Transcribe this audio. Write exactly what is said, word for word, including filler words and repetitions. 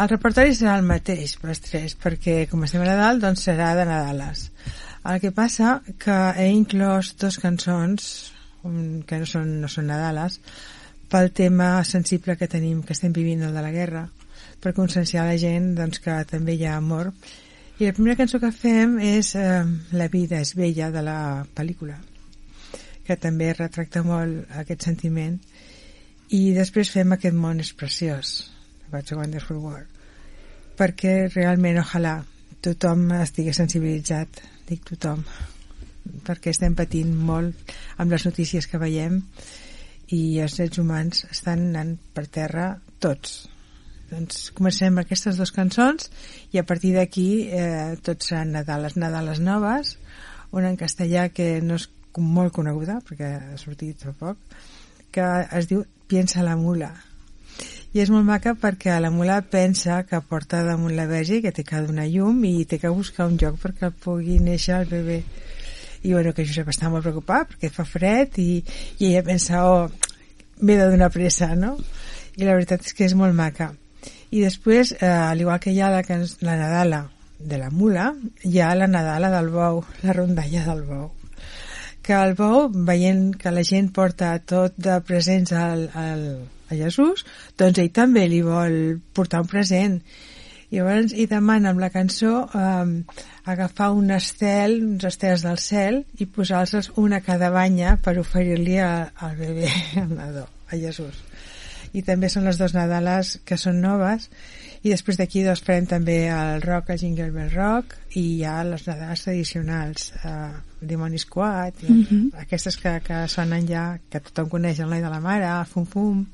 El repertori serà el mateix per els tres, perquè com estem a Nadal, doncs serà de Nadales. El que passa que he inclòs dos cançons que no són, no són Nadales, pel tema sensible que tenim, que estem vivint, el de la guerra, per conscienciar la gent doncs, que també hi ha amor. I la primera cançó que fem és eh, La vida és bella, de la pel·lícula, que també retracta molt aquest sentiment. I després fem Aquest món és preciós, What's a Wonderful World, perquè realment, ojalà, tothom estigui sensibilitzat, dic tothom, perquè estem patint molt amb les notícies que veiem i els drets humans estan anant per terra tots. Doncs comencem aquestes dues cançons i a partir d'aquí eh, tots seran Nadales, Nadales noves, una en castellà que no és molt coneguda perquè ha sortit fa poc, que es diu Piensa la mula, i és molt maca perquè la mula pensa que porta damunt la verge, que té que donar llum i té que buscar un lloc perquè pugui néixer el bebè. I bueno, que Josep està molt preocupat perquè fa fred i, i ella pensa, oh, m'he de donar pressa, no? I la veritat és que és molt maca. I després, eh, al igual que hi ha la, la Nadala de la mula, hi ha la Nadala del bou, la rondalla del bou. Que el bou, veient que la gent porta tot de presents al, al, a Jesús, doncs ell també li vol portar un present. I llavors hi demana amb la cançó eh, agafar un estel, uns estels del cel, i posar-los una a cada banya per oferir-li al bebè, al nadó, a Jesús. I també són les dues Nadales que són noves, i després d'aquí doncs farem també el rock, el Jingle Bell Rock, i hi ha les Nadales tradicionals, eh, Dimoni Squad, i mm-hmm. aquestes que, que sonen ja, que tothom coneix, el Noi de la Mare, Fum Fum.